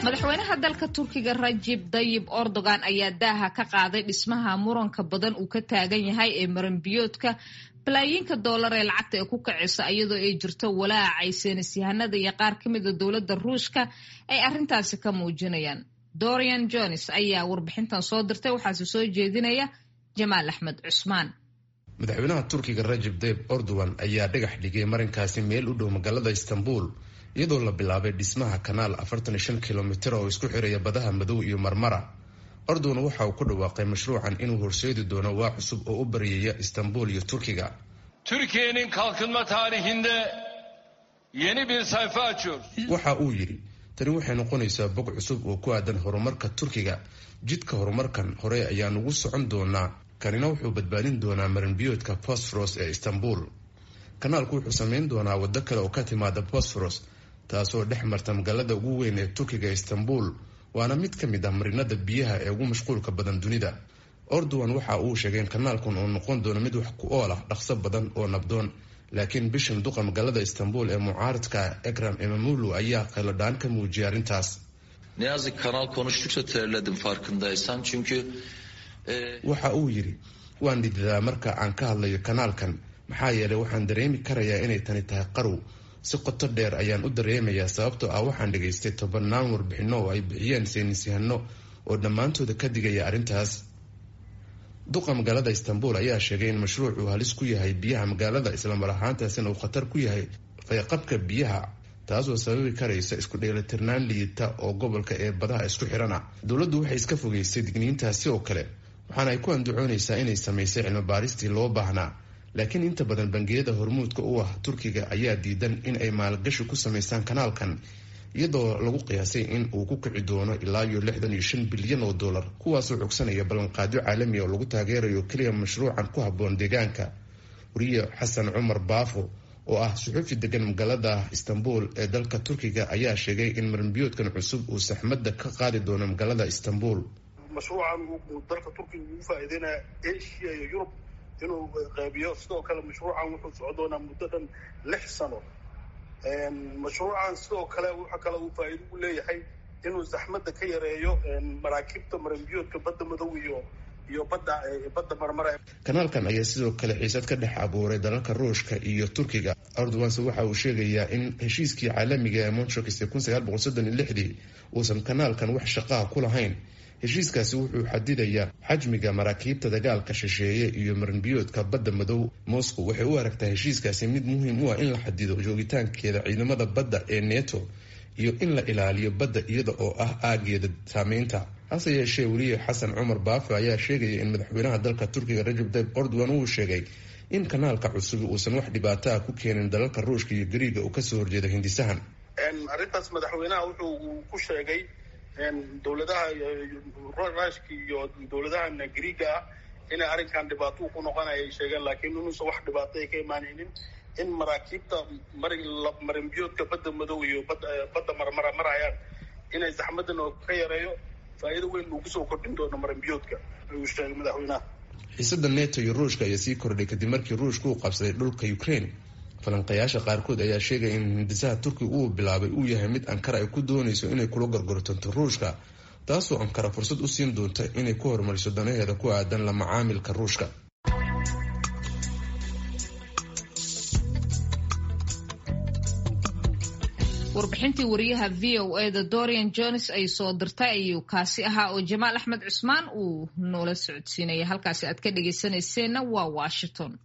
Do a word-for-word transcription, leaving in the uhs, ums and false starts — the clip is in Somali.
Madaxweynaha dalka Turkiga Rajib Dayib Erdogan ayaa daaha ka qaaday dhismaha muranka badan uu ka taagan yahay ee maranbiyoodka balaayiinka doolar ee lacagta ee ku kacaysa, iyadoo ay jirto walaacay saynisyahanada iyo qaar ka mida dowladda Ruushka ay arrintaasi ka muujinayaan. Dorian Jones ayaa warbixintan soo dirtay, waxaase soo jeedinaya Jamaal Axmed Cusmaan. Madaxweynaha Turkiga Rajab Tayib Erdogan ayaa dhagax dhigay marinkaasi meel u dhow magaalada Istanbul, iyadoo la bilaabay dhismaha kanaal afartan iyo shan kilomitir oo isku xiraya badaha Madow iyo Marmara. Erdogan waxa uu ku dhawaaqay mashruucan inuu horseedi doono waa cusub oo u baryaya Istanbul iyo Turkiga. Türkiye'nin kalkınma tarihinde yeni bir sayfa açıyoruz. Waxa uu yidhi, tani waxay noqonaysaa bog cusub oo ku aadan horumarka Turkiga. Jidka horumarkan hore ayaan ugu socon doonaa. Kanina wuxuu badbaadin doonaa marinbiyoodka Bosforos ee Istanbul. Kanaalku wuxuu sameyn doonaa waddo kale oo ka timaada Bosforos, taasoo dhex marta magaalada ugu weyn ee Turkiga, Istanbul, waana mid ka mid ah marinada biyaha ee ugu mashquulka badan dunida. Erdogan waxa uu sheegay in kanaalkan uu noqon doono mid wax ku ool ah, dhaqso badan oo nabdoon. Laakiin bishan duqa magaalada Istanbul ee mucaaradka Ekram Imamoglu ayaa qaylo-dhaan ka muujiyay arrintaas. Ne yazık kanal konuştukça terledim farkındaysan çünkü Waxa uu yidhi, waan dhididaa marka aan ka hadlayo kanaalkan, maxaa yeelay waxaan dareemi karayaa inay tani tahay qarow. Si qoto dheer ayaan u dareemayaa, sababtoo ah waxaan dhegaystay tobanaan warbixino oo ay bixiyeen saynisyahano oo dhammaantooda ka digaya arrintaas. Duqa magaalada Istanbul ayaa sheegay in mashruuc uu halis ku yahay biyaha magaalada, islamar ahaantaasina uu khatar ku yahay fayqabka biyaha, taasoo sababi karaysa isku dheelitirnaan liidata oo gobolka ee badaha isku xirana. Dowladdu waxay iska fogeysay digniintaasi oo kale, waxaana ay ku andacoonaysaa inay samaysay cilmi baaristii loo baahnaa. Laakiin inta badan bangiyada hormuudka u ah Turkiga ayaa diidan in ay maalgashi ku samaysaan kanaalkan, iyadoo lagu qiyaasay in uu ku kici doono ilaa iyo lixdan iyo shan bilyan oo dollar, kuwaasoo cogsanaya ballanqaadyo caalami oo lagu taageerayo keliya mashruucan ku habboon deegaanka. Wariye Xasan Cumar Baafo oo ah suxuufi degan magaalada Istanbul ee dalka Turkiga ayaa sheegay in marinbiyoodkan cusub uu saxmadda ka qaadi doono magaalada Istanbul. Mashruucan uu dalka Turkiga ugu faa'iideynaya Asia iyo Yurub inuu qaybiyo. Sidoo kale mashruucan wuxuu socon doonaa muddo dhan lix sano. Mashruucan sidoo kale waxa kale uu faa'iido u leeyahay inuu zaxmadda ka yareeyo maraakiibta marinbiyoodka Badda Madow iyo iyo badda badda Marmara. Kanaalkan ayaa sidoo kale xiisad ka dhex abuuray dalalka Ruushka iyo Turkiga. Erdoganse waxa uu sheegayaa in heshiiskii caalamiga ee Montreux ee kun sagaal boqol soddon iyo lixdii uusan kanaalkan wax shaqaha ku lahayn. Heshiiskaasi wuxuu xadidayaa xajmiga maraakiibta dagaalka shisheeye iyo marinbiyoodka Badda Madow. Moscow waxay u aragtaa heshiiskaasi mid muhiim u ah in la xadido joogitaankeeda ciidamada badda ee NATO iyo in la ilaaliyo badda iyada oo ah aageeda saameynta. Hase yeeshee, weriye Xasan Cumar Baafo ayaa sheegaya in madaxweynaha dalka Turkiga Rajab Tayyip Erdogan uu sheegay in kanaalka cusub uusan wax dhibaato ah ku keenin dalalka Ruushka iyo Gariiga oo kasoo horjeeda hindisahan. Arrintaas madaxweynaha wuxuu ku sheegay dowladaha Ruushka iyo dowladahan Gariiga ah inay arrinkan dhibaato ku noqonaya ay sheegeen, laakiin inuusan wax dhibaato ay ka imaanaynin in maraakiibta marinbiyoodka Badda Madow iyo badda Marmara marayaan inay zaxmadan oo ka yareeyo, faa'iido weyn uu kusoo kordhin doono marinbiyoodka, ayuu sheegay madaxweynaha. Xiisada NATO iyo Ruushka ayaa sii kordhay kadib markii Ruushka uu qabsaday dhulka Ukraine. Falanqayaasha qaarkood ayaa sheegaya in hindisaha Turkiga uu bilaabay uu yahay mid Ankara ay ku doonayso inay kula gorgortanto Ruushka, taasoo Ankara fursad u siin doonta inay ku horumariso danaheeda ku aadan la macaamilka Ruushka. Warbixintii wariyaha V O A da Dorian Jones ay soo dirtay ayuu kaasi ahaa oo Jamaal Axmed Cusmaan uu noola socodsiinaya. Halkaasi aad ka dhegeysanayseena waa Washington.